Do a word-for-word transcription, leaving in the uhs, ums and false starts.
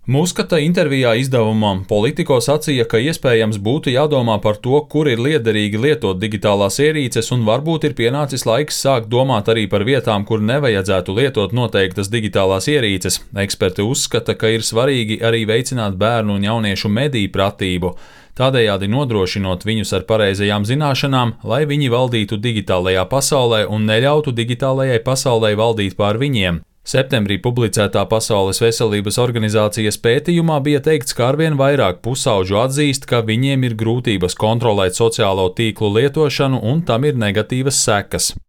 Muskata intervijā izdevumam Politico sacīja, ka iespējams būtu jādomā par to, kur ir liederīgi lietot digitālās ierīces, un varbūt ir pienācis laiks sākt domāt arī par vietām, kur nevajadzētu lietot noteiktas digitālās ierīces. Eksperti uzskata, ka ir svarīgi arī veicināt bērnu un jauniešu mediju pratību, tādējādi nodrošinot viņus ar pareizajām zināšanām, lai viņi valdītu digitālajā pasaulē un neļautu digitālajai pasaulē valdīt pār viņiem. Septembrī publicētā Pasaules veselības organizācijas pētījumā bija teikts, ka arvien vairāk pusauģu atzīst, ka viņiem ir grūtības kontrolēt sociālo tīklu lietošanu un tam ir negatīvas sekas.